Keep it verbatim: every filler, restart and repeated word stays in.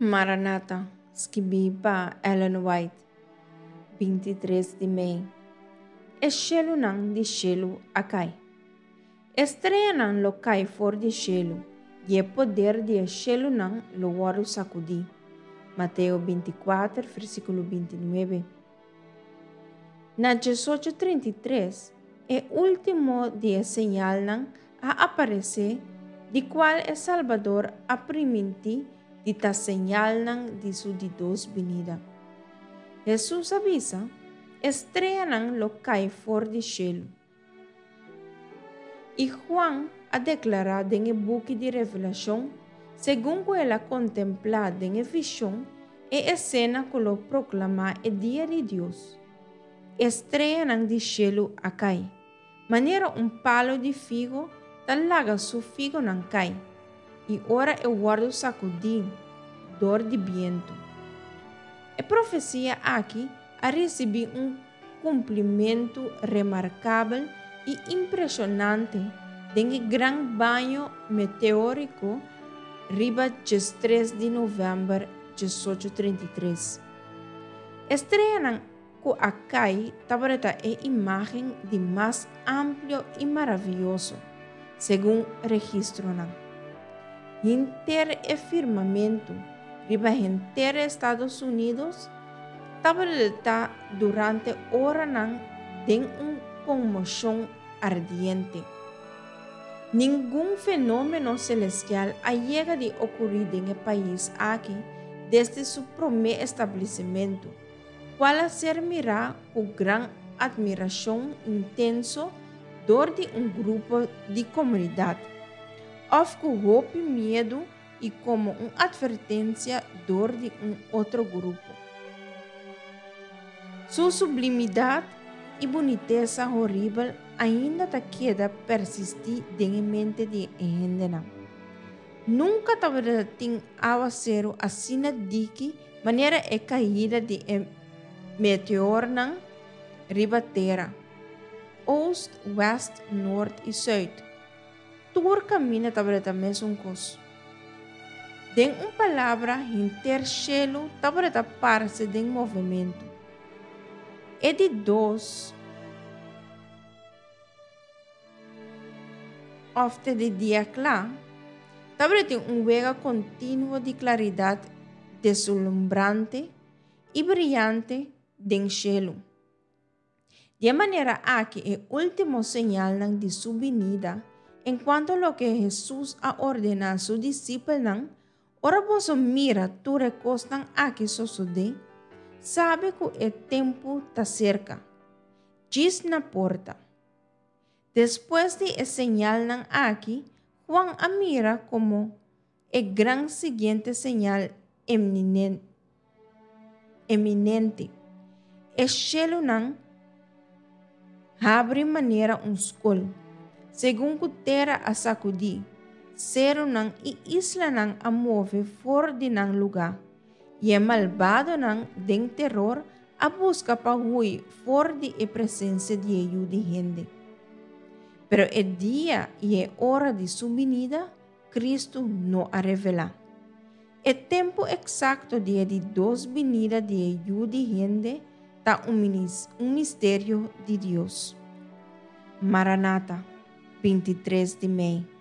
Maranata, skibí pa Ellen White, binti tres di mei. E shelunan di shelu a kai. E streanan lo kai for di shelu, i e poder di e shelunan lo wòrdu sakudí. Mateo binti kuater, versíkulo binti nuebe. Na diesocho trinta i tres, e último di e señalnan a aparesé, di kual e Salbador a primintí di ta señalnan di su di dos binida. Hesus a bisa, E streanan lo kai for di shelu. I Juan a deklará den e buki di Revelashon, segun ku el a kontemplá den e vishon e esena ku lo proklamá e dia di Dios, E streanan di shelu a kai, manera un palu di figo ta laga su figonan kai, i ora e wòrdu sakudí dor di bientu. E profesia aki a risibí un kumplimentu remarkabel i impreshonante den e gran baño meteóriko riba diestres di novèmber diesocho trinta i tres. E streanan ku a kai tabata e imágen di mas amplio i maravioso, segun registronan. Henter e firmamentu riba henter Estados Unidos tabata durante oranan den un konmoshon ardiente. Ningun fenómeno selestial a yega di okurí den e pais aki desde su promé establesimentu, kual a ser mirá ku gran atmirashon intenso dor di un grupo di komunidat, òf ku hopi miedu i komo un atvertensia dor di un otro grupo. Su sublimidat i bunitesa horibel ainda ta keda persistí den e mente di e hendenan. Nunka tabata tin awaseru asina diki manera e kaida di e meteornan riba tera, oost, wèst, nort i sùit. Tur kaminda tabata mesun kos. Den un palabra, henter shelu tabata parse den movementu. E di dos òf te di dia kla, tabatin un wega kontinuo di klaridat deslumbrante i briante den shelu. Di e manera aki e último señalnan di su binida enkuanto loke Hesus a ordená su disipelnan, Ora boso mira tur e kosnan aki sosodé, sabi ku e tempu ta serka, djis na porta. Despues di e señalnan aki, Juan a mira komo e gran siguiente señal eminente, e shelunan habri manera un skol, segun ku tera a sakudí, serunan i islanan a move for di nan lugá, i e malbadonan den teror a buska pa hui for di e presensia di e Yu di hende. Pero e dia i e ora di su binida, Kristu no a revelá. E tempu eksakto di e di dos binida di e Yu di hende ta un misterio di Dios. Maranata, binti tres di mei.